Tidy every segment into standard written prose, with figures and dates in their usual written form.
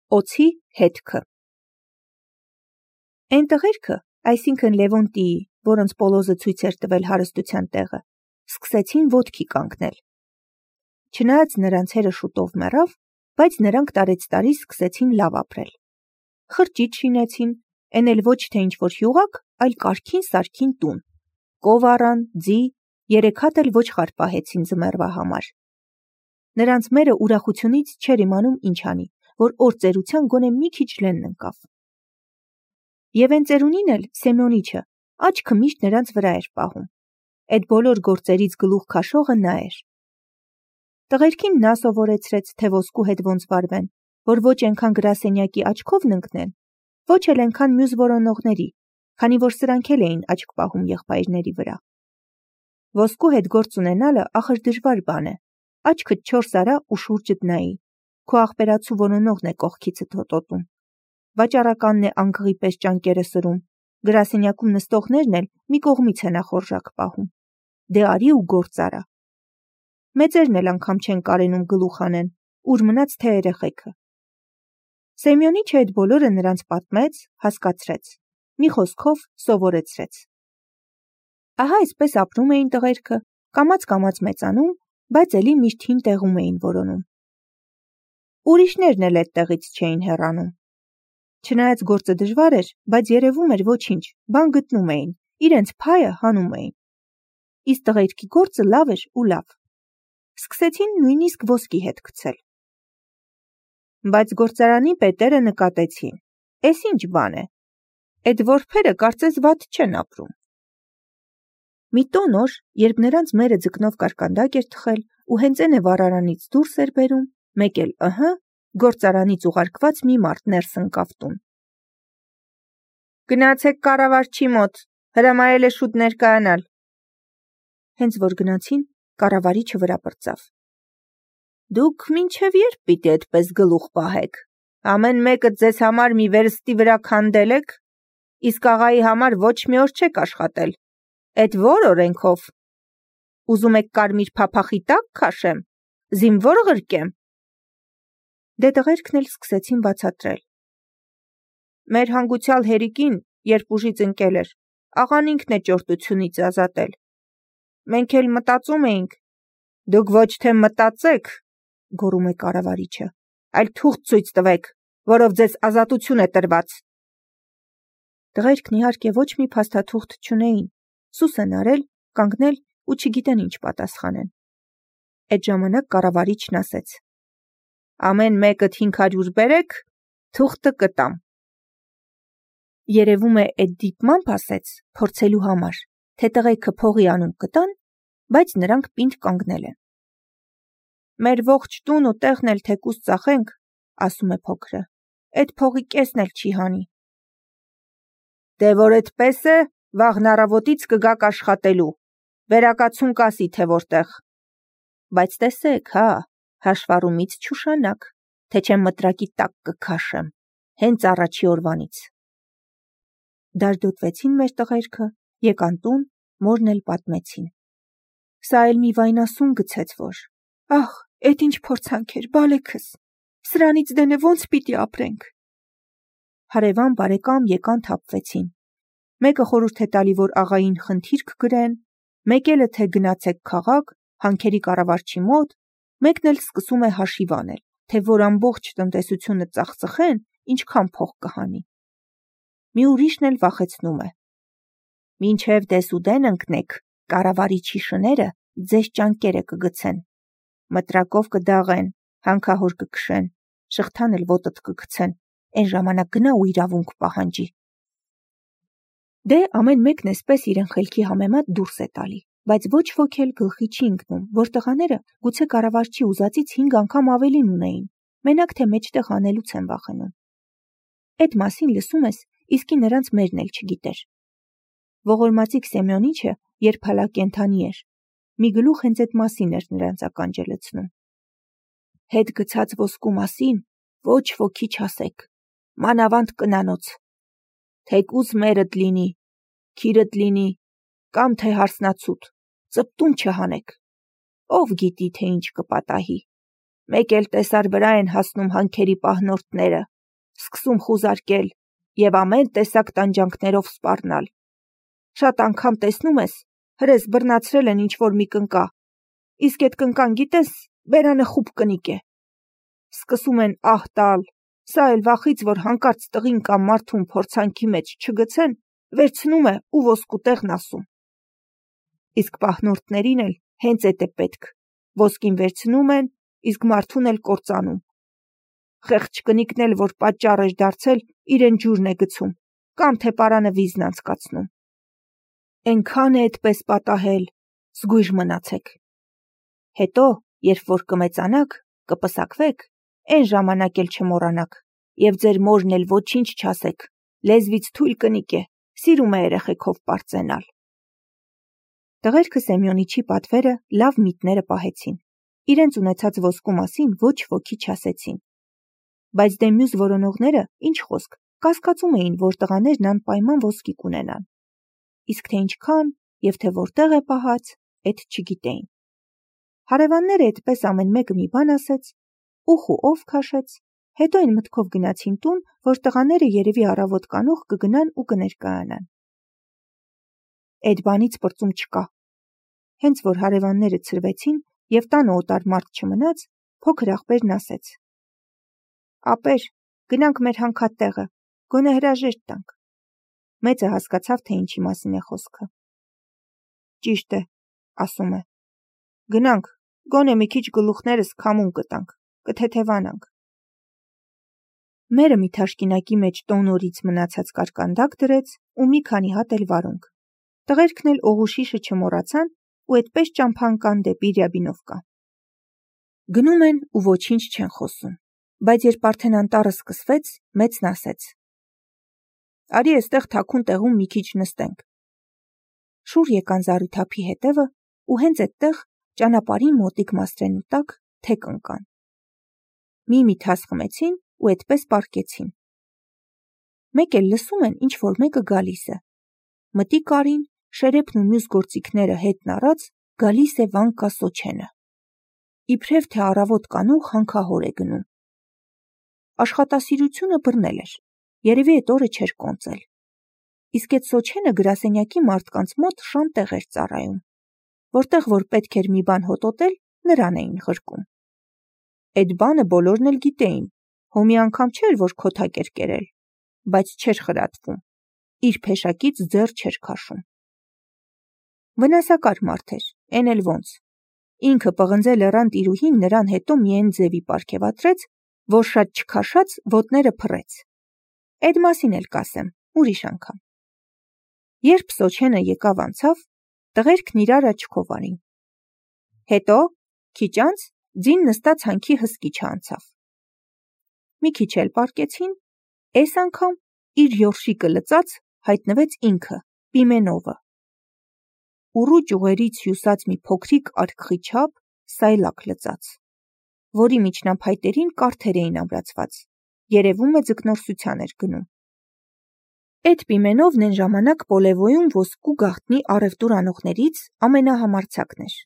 Օձի հետքը։ Այն տղերքը, այսինքն Լևոնտիի, որոնց Պոլոզը ցույց էր տվել հարստության տեղը, սկսեցին ոտքի կանգնել։ Չնայած նրանց հերը շուտով մեռավ, բայց նրանք տարեցտարի սկսեցին լավ ապրել։ Խրճիթ շինեցին, էն էլ ոչ թե ինչ-որ հյուղակ, այլ կարգին սարքին տուն։ Կով առան, ձի, 3 հատ էլ ոչխար պահեցին ձմեռվա համար։ Նրանց մերը ուրախությունից չէր իմանում ինչ անի, որ օր ծերության գոնե մի քիչ լենն ընկավ։ Եվ այն ծերունին էլ Սեմյոնիչը աչքը միշտ նրանց վրա էր պահում։ Այդ բոլոր գործերից գլուխ քաշողը նա էր։ Տղերքին նա սովորեցրեց, թե ոսկու հետ ոնց վարվեն, որ ոչ այնքան գրասենյակի աչքով ընկնեն, ոչ էլ այնքան մյուս որոնողների, քանի որ սրանք էլ էին աչք պահում եղբայրների վրա։ Ոսկու հետ գործ ունենալը ախր դժվար բան է, աչքդ 4 արա ու շուրջդ նայի, քո աղբերացու որոնողն է կողքիցդ հոտոտում, վաճառականն է անգղի պես ճանկերը սրում, գրասենյակում նստողներն էլ մի կողմից է նախորժակ պահում։ Դե արի ու գործ արա։ Մեծերն էլ անգամ չեն կարենում գլուխ անեն, ուր մնաց թե երեխեքը։ Սեմյոնիչը այդ բոլորը նրանց պատմեց, հասկացրեց, մի խոսքով սովորեցրեց։ Ահա այսպես ապրում էին տղերքը, կամաց մեծանում, բայց էլի միշտ հին տեղում էին որոնում։ Ուրիշներն էլ այդ տեղից չէին հեռանում։ Չնայած գործը դժվար էր, բայց երևում էր ոչինչ, բան գտնում էին, իրենց փայը հանում էին։ Իսկ տղերքի գործը լավ էր ու լավ։ Սկսեցին նույնիսկ ոսկի հետ գցել։ Բայց գործարանի պետերը նկատեցին. «Էս ինչ բան է, այդ որբերը կարծես վատ չեն ապրում»։ Մի տոն օր, երբ նրանց մերը ձկնով կարկանդակ էր թխել ու հենց էնե վառարանից դուրս էր բերում, մեկ էլ գործարանից ուղարկված մի մարդ ներս ընկավ տուն։ «Գնացեք կառավարչի մոտ, հրամայել է շուտ ներկայանալ»։ Հենց որ գնացին, կառավարիչը վրա պրծավ. «Դուք մինչև երբ պիտի այդպես գլուխ պահեք, ամեն մեկը ձեզ համար մի վերստի վրա քանդել եք, իսկ աղայի համար ոչ մի օր չեք աշխատել, այդ ո՞ր օրենքով, ուզում եք կարմիր փափախի տակ քաշեմ, զինվոր ղրկեմ»։ Դե տղերքն էլ սկսեցին բացատրել. «Մեր հանգուցյալ հերիկին, երբ ուժից ընկել էր, աղան ինքն է ճորտությունից ազատել։ Մենք էլ մտածում էինք»։ «Դուք ոչ թե մտածեք», գոռում է կառավարիչը, «այլ թուղթ ցույց տվեք, որով ձեզ ազատություն է տրված»։ Տղերքն իհարկե ոչ մի փաստաթուղթ չունեին, սուս են արել, կանգնել ու չգիտեն ինչ պատասխանեն։ Այդ ժամանակ կառավարիչն ասեց. «Ամեն մեկդ 500 բերեք, թուղթը կտամ»։ Երևում է այդ դիպմամբ ասեց փորձելու համար, թե տղերքը փողի անուն կտան, բայց նրանք պինդ կանգնել են։ «Մեր ողջ տուն ու տեղն էլ թեկուզ ծախենք», ասում է փոքրը, «այդ փողի կեսն էլ չի հանի»։ «Դե որ այդպես է, վաղն առավոտից կգաք աշխատելու, վերակացուն կասի թե որտեղ։ Բայց տեսեք, հաշվառումից չուշանաք, թե չեմ մտրակի տակ կքաշեմ, հենց առաջի օրվանից»։ Դաժդոտվեցին մեր տղերքը, եկան տուն, մորն էլ պատմեցին։ Սա էլ մի վայնասուն գցեց, որ «Ահ, էդ ինչ փորձանք էր, բալեքս, սրանից դենե ոնց պիտի ապրենք»։ Հարևան բարեկամ եկան թափվեցին։ Մեկը խորհուրդ է տալի, որ աղային խնդիր կգրեն, մեկ էլը թե գնացեք քաղաք, հանքերի կառավարչի մոտ, մեկն էլ սկսում է հաշիվ անել, թե որ ամբողջ տնտեսությունը ծախծխեն, ինչքան փող կհանի։ Մի ուրիշն էլ վախեցնում է. «Մինչև դեսուդեն ընկնեք, կառավարիչի շները ձեզ ճանկերը կգցեն, մտրակով կդաղեն, հանքահոր կքշեն, շղթան էլ ոտդ կգցեն, այն ժամանակ գնա ու իրավունք պահանջի»։ Դե ամեն մեկն էսպես իրեն խելքի համեմատ դուրս է տալի, բայց ոչ ոք էլ գլխի չի ընկնում, որ տղաները գուցե կառավարչի ուզածից 5 անգամ ավելին ունեին, մենակ թե մեջտեղ անելուց են վախենում։ Այդ մասին լսում ես, իսկի նրանց մերն էլ չգիտեր։ Ողորմածիկ Սեմյոնիչը, երբ հալա կենդանի էր, մի գլուխ հենց այդ մասին էր նրանց ականջը լցնում։ «Հետ գցած ոսկու մասին ոչ ոքի չասեք, մանավանդ կնանոց, թեկուզ մերդ լինի, քիրդ լինի, կամ թե հարսնացուդ, ծպտուն չհանեք, ով գիտի, թե ինչ կպատահի, մեկ էլ տեսար վրա են հասնում հանքերի պահնորդները, սկսում խուզարկել և ամեն տեսակ տանջանքներով սպառնալ։ Շատ անգամ տեսնում ես, հրես բռնացրել են ինչ-որ մի կնկա, իսկ էդ կնկան գիտես, բերանը խուբ կնիկ է։ Սկսում են ահ տալ, սա էլ վախից, որ հանկարծ տղին կամ մարդուն փորձանքի մեջ չգցեն, վերցնում է ու ոսկու տեղն ասում։ Իսկ պահնորդներին էլ հենց էդ է պետք, ոսկին վերցնում են, իսկ մարդուն էլ կործանում։ Խեղճ կնիկն էլ, որ պատճառ էր դարձել, իրեն ջուրն է գցում, կամ թե պարանը վիզն անցկացնում։ Էնքան է այդպես պատահել, զգույշ մնացեք։ Հետո, երբ որ կմեծանաք, կպսակվեք, այն ժամանակ էլ չմոռանաք, և ձեր մորն էլ ոչինչ չասեք, լեզվից թույլ կնիկ է, սիրում է երեխեքով պարծենալ։ Տղերքը Սեմյոնիչի պատվերը լավ միտները պահեցին, իրենց ունեցած ոսկու մասին ոչ ոքի չասեցին։ Բայց դե մյուս որոնողները, ինչ խոսք, կասկածում էին, որ տղաներն անպայման ոսկի կունենան։ Իսկ թե ինչքան և թե որտեղ է պահած, էդ չգիտեին։ Հարևանները այդպես ամեն մեկը մի բան ասեց, ուխ ու ով քաշեց, հետո այն մտքով գնացին տուն, որ տղաները երևի առավոտ կանուխ կգնան ու կներկայանան։ Այդ բանից պրծում չկա։ Հենց որ հարևանները ցրվեցին և տանը օտար մարդ չմնաց, փոքր աղբերն ասեց. «Ապեր, գնանք մեր հանքատեղը, գոնե հրաժեշտ տանք»։ Մեծը հասկացավ, թե ինչի մասին է խոսքը։ «Ճիշտ է», ասում է, «գնանք, գոնե մի քիչ գլուխներս քամուն կտանք, կթեթևանանք»։ Մերը մի թաշկինակի մեջ տոնորից մնացած կարկանդակ դրեց ու մի քանի հատ էլ վարունգ։ Տղերքն էլ օղուշիշը չմոռացան ու այդպես ճամփա ընկան դեպի Ռյաբինովկա։ Գնում են ու ոչինչ չեն խոսում, բայց երբ արդեն անտառը սկսվեց, մեծն ասեց. «Արի էստեղ թաքուն տեղում մի քիչ նստենք»։ Շուռ եկան Զարութափի հետևը ու հենց այդտեղ ճանապարհին մոտիկ մասրենու տակ թեք ընկան։ Մի թաս խմեցին ու այդպես պառկեցին։ Մեկ էլ լսում են, ինչ որ մեկը գալիս է։ Մտի կարին, շերեփն ու մյուս գործիքները հետն առած, գալիս է Վանկա Սոչենը։ Իբրև թե առավոտ կանուխ հանքահոր է գնում։ Աշխատասիրությունը բռնել էր, երևի այդ օրը չէր կոնծել։ Իսկ այդ Սոչենը գրասենյակի մարդկանց մոտ շան տեղ էր ծառայում, որտեղ որ պետք էր մի բան հոտոտել, նրան էին ղրկում։ Այդ բանը բոլորն էլ գիտեին, հոմի անգամ չէր, որ քոթակ էր կերել, բայց չէր խրատվում, իր փեշակից ձեռ չէր քաշում։ Վնասակար մարդ էր, էն էլ ոնց։ Ինքը պղնձե լեռան տիրուհին նրան հետո միայն ձևի պարգևատրեց, որ շատ չքաշած ոտները փռեց։ Այդ մասին էլ կասեմ, ուրիշ անգամ։ Երբ Սոչենը եկավ անցավ, տղերքն իրար աչքով արին։ Հետո, քիչ անց, ձին նստած հանքի հսկիչը անցավ։ Մի քիչ էլ պառկեցին, այս անգամ իր ёրշիկը լծած հայտնվեց ինքը, Պիմենովը։ Ուռու ճյուղերից հյուսած մի փոքրիկ արկղի չափ սայլակ լծած, որի միջնափայտերին կարթեր էին ամրացված, երևում է ձկնորսության էր գնում։ Այդ Պիմենովն այն ժամանակ Պոլևոյում ոսկու գաղտնի առևտուր անողներից ամենահամարձակն էր։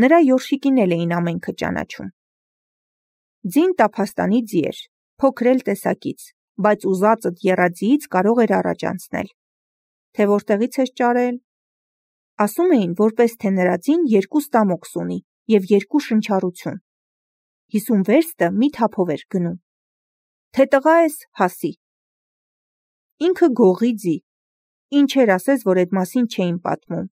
Նրա ёրշիկին էլ էին ամենքը ճանաչում։ Ձին տափաստանի ձի էր, փոքր էլ տեսակից, բայց ուզածդ եռաձիից կարող էր առաջ անցնել։ Թե որտեղից էր ճարել։ Ասում էին, որպես թե նրա ձին 2 ստամոքս ունի և 2 շնչառություն։ 50 վերստը մի թափով էր գնում։ Թե տղա ես, հասի։ Ինքը գողի ձի, ինչեր ասես, որ այդ մասին չէին պատմում։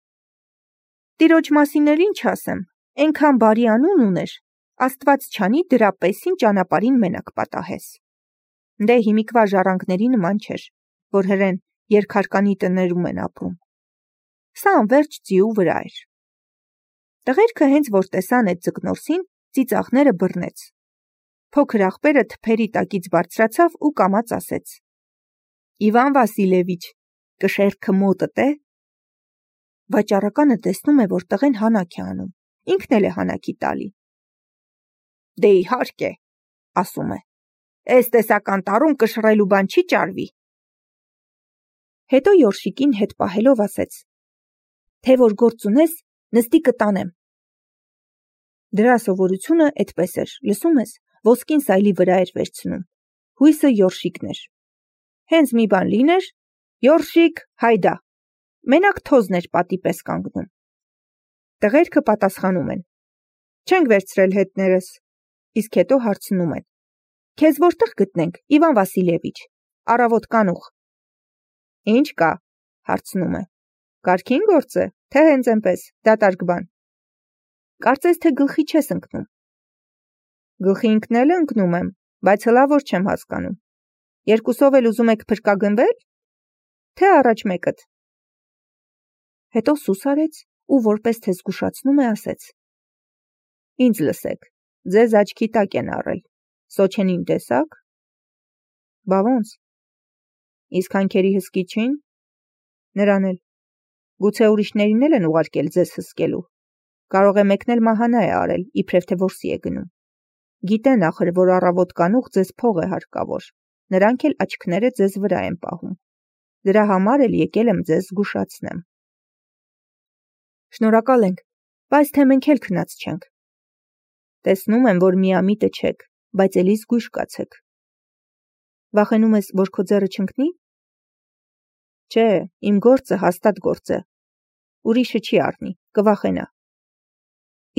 Տիրոջ մասին էլ ինչ ասեմ, այնքան բարի անուն ուներ, Աստված չանի դրա պեսին ճանապարհին մենակ պատահես։ Դե հիմիկվա ժառանգների նման չէր, որ հրեն երկհարկանի տներում են ապրում։ Սա անվերջ ձիու վրա էր։ Տղերքը հենց որ տեսան այդ ձկնորսին, ծիծաղները բռնեց։ Փոքր աղբերը թփերի տակից բարձրացավ ու կամաց ասեց. Իվան Վասիլևիչ, կշեռքը մոտդ է։ Վաճառականը տեսնում է, որ տղեն հանակ է անում, ինքն էլ է հանակի տալի։ Դե իհարկե, ասում է, այս տեսական տարում կշռելու բան չի ճարվի։ Հետո ёրշիկին հետ պահելով ասեց. Թե որ գործ ունես, նստի կտանեմ։ Դրա սովորությունը այդպես էր, լսում ես, ոսկին սայլի վրա էր վերցնում, Հույսը Յորշիկն էր։ Հենց մի բան լիներ, Յորշիկ, հայդա։ Մենակ թոզն էր պատի պես կանգնում։ Տղերքը պատասխանում են. չենք վերցրել հետներս, իսկ հետո հարցնում են. քեզ որտեղ գտնենք, Իվան Վասիլևիչ, առավոտ կանուխ։ Ինչ կա, հարցնում է, կարգին գործ է, թե հենց այնպես, դատարկ բան։ Կարծես թե գլխի չես ընկնում։ Գլխի ընկնել ընկնում եմ, բայց հլավոր չեմ հասկանում։ Երկուսով էլ ուզում եք փրկագնվել, թե առաջ մեկդ։ Հետո սուս արեց ու որպես թե զգուշացնում է ասեց. ինձ լսեք, ձեզ աչքի տակ են առել, Սոչենին տեսաք։ Բա ոնց։ Իսկ հանքերի հսկիչին։ Նրան էլ։ Գուցե ուրիշներին էլ են ուղարկել ձեզ հսկելու։ Կարող է մեկն էլ մահանա է արել, իբրև թե որսի է գնում։ Գիտեն ախր, որ առավոտ կանուխ ձեզ փող է հարկավոր, նրանք էլ աչքները ձեզ վրա են պահում։ Դրա համար էլ եկել եմ ձեզ զգուշացնեմ։ Շնորհակալ ենք, բայց թե մենք էլ քնած չենք։ Տեսնում եմ, որ միամիտը չեք, բայց էլի զգույշ կացեք։ Վախենում ես, որ քո ձեռը չընկնի։ Չէ, իմ գործը հաստատ գործ է։ Ուրիշը չի առնի, կվախենա։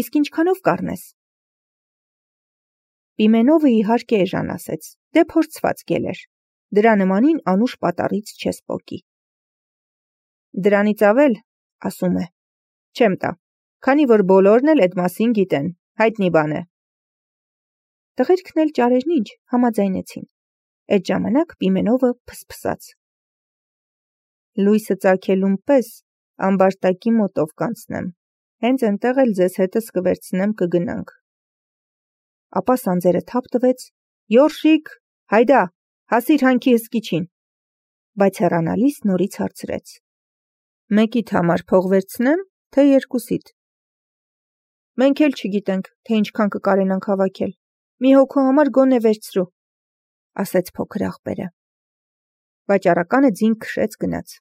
Իսկ ինչքանով կառնես։ Պիմենովը իհարկե էժան ասեց, դե փորձված գելեր, դրա նմանին անուշ պատառից չես պոկի։ Դրանից ավել, ասում է, չեմ տա, քանի որ բոլորն էլ այդ մասին գիտեն, հայտնի բան է։ Տղերքն էլ ճարերն ինչ, համաձայնեցին։ Այդ ժամանակ Պիմենովը փսփսաց։ Լույսը ծագելուն պես ամբարտակի մոտով կանցնեմ, հենց այնտեղ էլ ձեզ հետս կվերցնեմ կգնանք։ Ապա սանձերը թափ տվեց, Յորշիկ, հայդա, հասիր հանքի հսկիչին, բայց հեռանալիս նորից հարցրեց. մեկիդ համար փող վերցնեմ, թե երկուսիդ։ Մենք էլ չգիտենք, թե ինչքան կկարենանք հավաքել, մի հոգու համար գոնե վերցրու, ասեց փոքր աղբերը։ Վաճառականը ձին քշեց գնաց։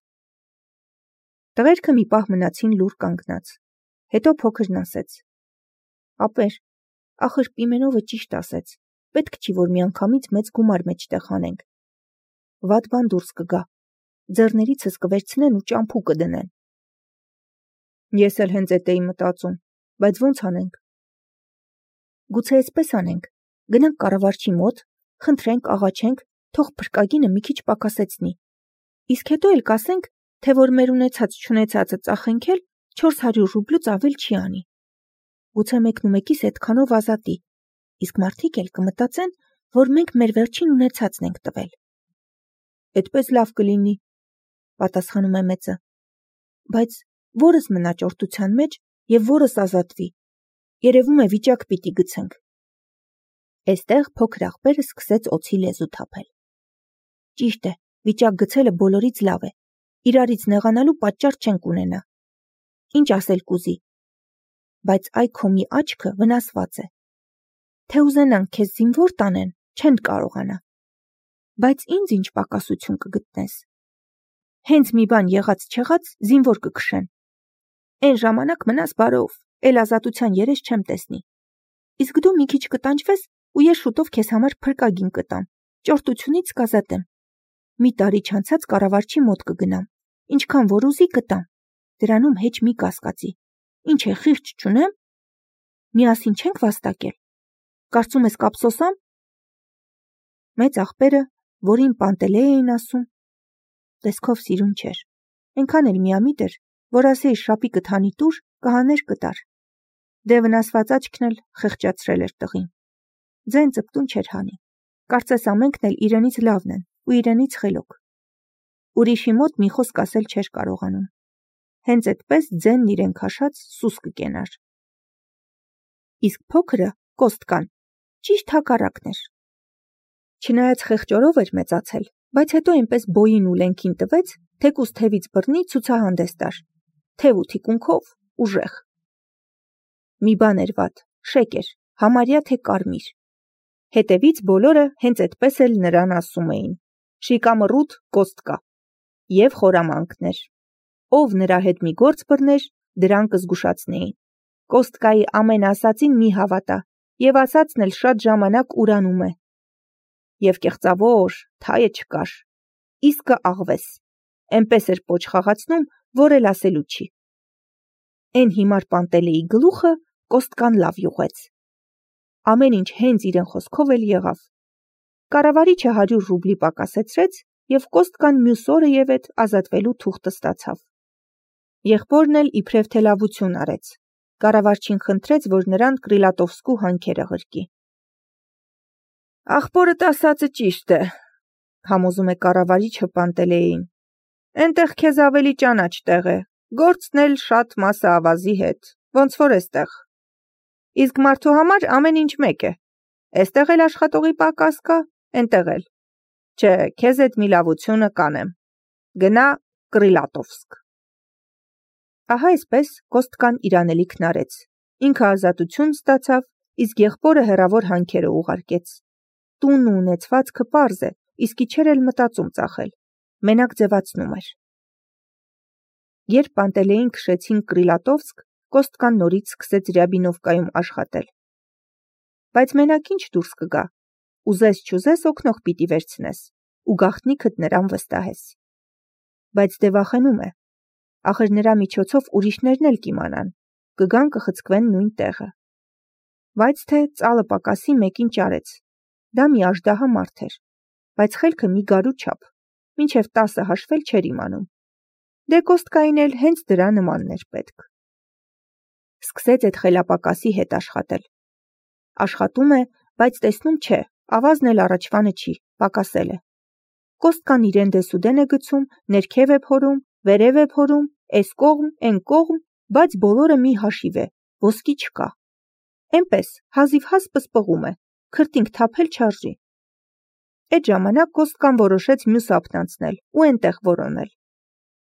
Տղերքը մի պահ մնացին լուռ կանգնած, հետո փոքրն ասեց. ապեր, ախր Պիմենովը ճիշտ ասեց, պետք չի, որ միանգամից մեծ գումար մեջտեղ հանենք։ Վատ բան դուրս կգա, ձեռներիցս կվերցնեն ու ճամփու կդնեն։ Ես էլ հենց էդ էի մտածում, բայց ոնց անենք։ Գուցե այսպես անենք, գնանք կառավարչի մոտ, խնդրենք, աղաչենք, թող փրկագինը մի քիչ պակասեցնի։ Իսկ հետո էլ կասենք, թե որ մեր ունեցած-չունեցածը ծախենք էլ 400 ռուբլուց ավել չի անի։ Գուցե մեկնումեկիս այդքանով ազատի, իսկ մարդիկ էլ կմտածեն, որ մենք մեր վերջին ունեցածն ենք տվել։ Այդպես լավ կլինի, պատասխանում է մեծը, բայց որս մնա ճորտության մեջ և որս ազատվի, երևում է վիճակ պիտի գցենք։ Էստեղ փոքր աղբերը սկսեց օձի լեզու թափել։ Ճիշտ է, վիճակ գցելը բոլորից լավ է, իրարից նեղանալու պատճառ չենք ունենա։ Ինչ ասել կուզի, բայց այ քո մի աչքը վնասված է։ Թե ուզենանք քեզ զինվոր տանեն, չեն կարողանա։ Բայց ինձ ինչ պակասություն կգտնես։ Հենց մի բան եղած-չեղած զինվոր կքշեն։ Էն ժամանակ մնաս բարով, էլ ազատության երես չեմ տեսնի։ Իսկ դու մի քիչ կտանջվես ու ես շուտով քեզ համար փրկագին կտամ, ճորտությունից կազատեմ։ Մի տարի չանցած կառավարչի մոտ կգնամ, ինչքան որ ուզի կտամ, դրանում հեչ մի կասկածի։ Ինչ է, խիղճ չունեմ։ Միասին չենք վաստակել։ Կարծում ես կապսոսամ։ Մեծ աղբերը, որին Պանտելեյ էին ասում, տեսքով սիրուն չէր, այնքան էլ միամիտ էր, որ ասեի շապիկը թանի տուր, կհաներ կտար։ Դե վնասված աչքն էլ խեղճացրել էր տղին։ Ձեն ծպտուն չէր հանի, կարծես ամենքն էլ իրենից լավն են ու իրենից խելոք։ Ուրիշի մոտ մի խոսք ասել չէր կարողանում։ Հենց այդպես ձենն իրեն քաշած սուս կկենար։ Իսկ փոքրը կոստկան, ճիշտ հակառակն էր։ Չնայած խեղճորով էր մեծացել, բայց հետո այնպես բոյին ու լենքին տվեց, թեկուզ թևից բռնի ցուցահանդես տար, թև ու թիկունքով ուժեղ։ Մի բան էր վատ, շեկ էր, համարյա թե կարմիր։ Հետևից բոլորը հենց այդպես էլ նրան ասում էին. շիկամռութ կոստկա։ Եվ խորամանկներ։ Ով նրա հետ մի գործ բռներ, դրան կզգուշացնեին։ Կոստկայի ամեն ասածին մի հավատա, եւ ասածն էլ շատ ժամանակ ուրանում է։ եւ կեղծավոր, թայը չկար, իսկը աղվես, էնպես էր պոչ խաղացնում, որ էլ ասելու չի։ Էն հիմար Պանտելեի գլուխը Կոստկան լավ յուղեց։ Ամեն ինչ հենց իրեն խոսքով էլ եղավ։ Կառավարիչը 100 ռուբլի պակասեցրեց եւ Կոստկան մյուս օրը եւեթ ազատվելու թուղթը ստացավ։ Եղբորն էլ իբրև թե լավություն արեց։ Կառավարչին խնդրեց, որ նրան Կրիլատովսկու հանքերը ղրկի։ Ախպորդ ասածը ճիշտ է, համոզում է կառավարիչը Պանտելեին։ Էնտեղ քեզ ավելի ճանաչ տեղ է, գործն էլ շատ մասը ավազի հետ, ոնց որ էստեղ։ Իսկ մարդու համար ամեն ինչ մեկ է։ Էստեղ էլ աշխատողի պակաս կա, էնտեղ էլ։ Չէ, քեզ այդ մի լավությունը կանեմ։ Գնա Կրիլատովսկ։ Ահա այսպես Կոստկան իր անելիքն արեց։ Ինքը ազատություն ստացավ, իսկ եղբորը հեռավոր հանքերը ուղարկեց։ Տունն ու ունեցվածքը պարզ է, իսկ իջեր էլ մտածում ծախել։ Մենակ ձևացնում էր։ Երբ Պանտելեին քշեցին Կրիլատովսկ, Կոստկան նորից սկսեց Ռյաբինովկայում աշխատել։ Բայց մենակ ինչ դուրս կգա։ Ուզես-չուզես օգնող պիտի վերցնես, ու գաղտնիքդ նրան վստահես։ Բայց դե վախենում է։ Ախր նրա միջոցով ուրիշներն էլ կիմանան, կգան կխցկվեն նույն տեղը։ Բայց թե ծալը պակասի մեկին ճարեց։ Դա մի աժդահա մարդ էր, բայց խելքը մի գարու չափ, մինչև 10 հաշվել չէր իմանում։ Դե Կոստկային էլ հենց դրա նմանն էր պետք։ Սկսեց այդ խելապակասի հետ աշխատել։ Աշխատում է, բայց տեսնում չէ, ավազն էլ առաջվանը չի, պակասել է։ Կոստկան իրեն դեսուդեն է գցում, ներքև է փորում, վերև է փորում, էս կողմ, էն կողմ, բայց բոլորը մի հաշիվ է, ոսկի չկա։ Էնպես հազիվ-հազ պսպղում է, քրտինք թափել չարժի։ Այդ ժամանակ Կոստկան որոշեց մյուս ափն անցնել ու էնտեղ որոնել։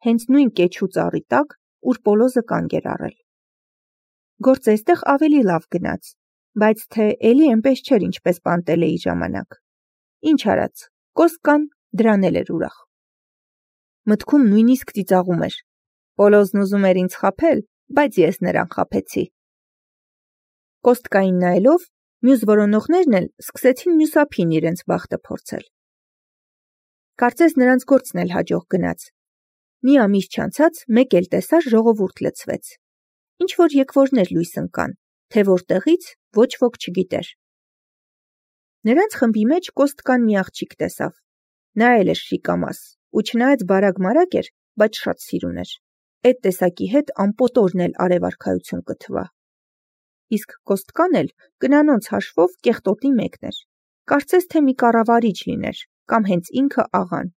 Հենց նույն կեչու ծառի տակ, ուր Պոլոզը կանգ էր առել։ Գործը այստեղ ավելի լավ գնաց, բայց թե էլի էնպես չէր, ինչպես Պանտելեի ժամանակ։ Ինչ արած, Կոստկան դրան էլ էր ուրախ։ Մտքում նույնիսկ ծիծաղում էր։ Պոլոզն ուզում էր ինձ խաբել, բայց ես նրան խաբեցի։ Կոստկային նայելով, մյուս որոնողներն էլ սկսեցին մյուս ափին իրենց բախտը փորձել։ Կարծես նրանց գործն էլ հաջող գնաց։ Մի ամիս չանցած մեկ էլ տեսար ժողովուրդ լցվեց։ Ինչ որ եկվորներ լույս ընկան, թե որտեղից ոչ ոք չգիտեր։ Նրանց խմբի մեջ Կոստկան մի աղջիկ տեսավ։ Նա էլ էր շիկամաս, ու չնայած բարակ-մարակ էր, բայց շատ սիրուն էր։ Այդ տեսակի հետ ամպոտորն էլ արևարքայություն կթվա։ Իսկ Կոստկան էլ կնանոնց հաշվով կեղտոտի մեկն էր։ Կարծես թե մի կառավարիչ լիներ, կամ հենց ինքը աղան։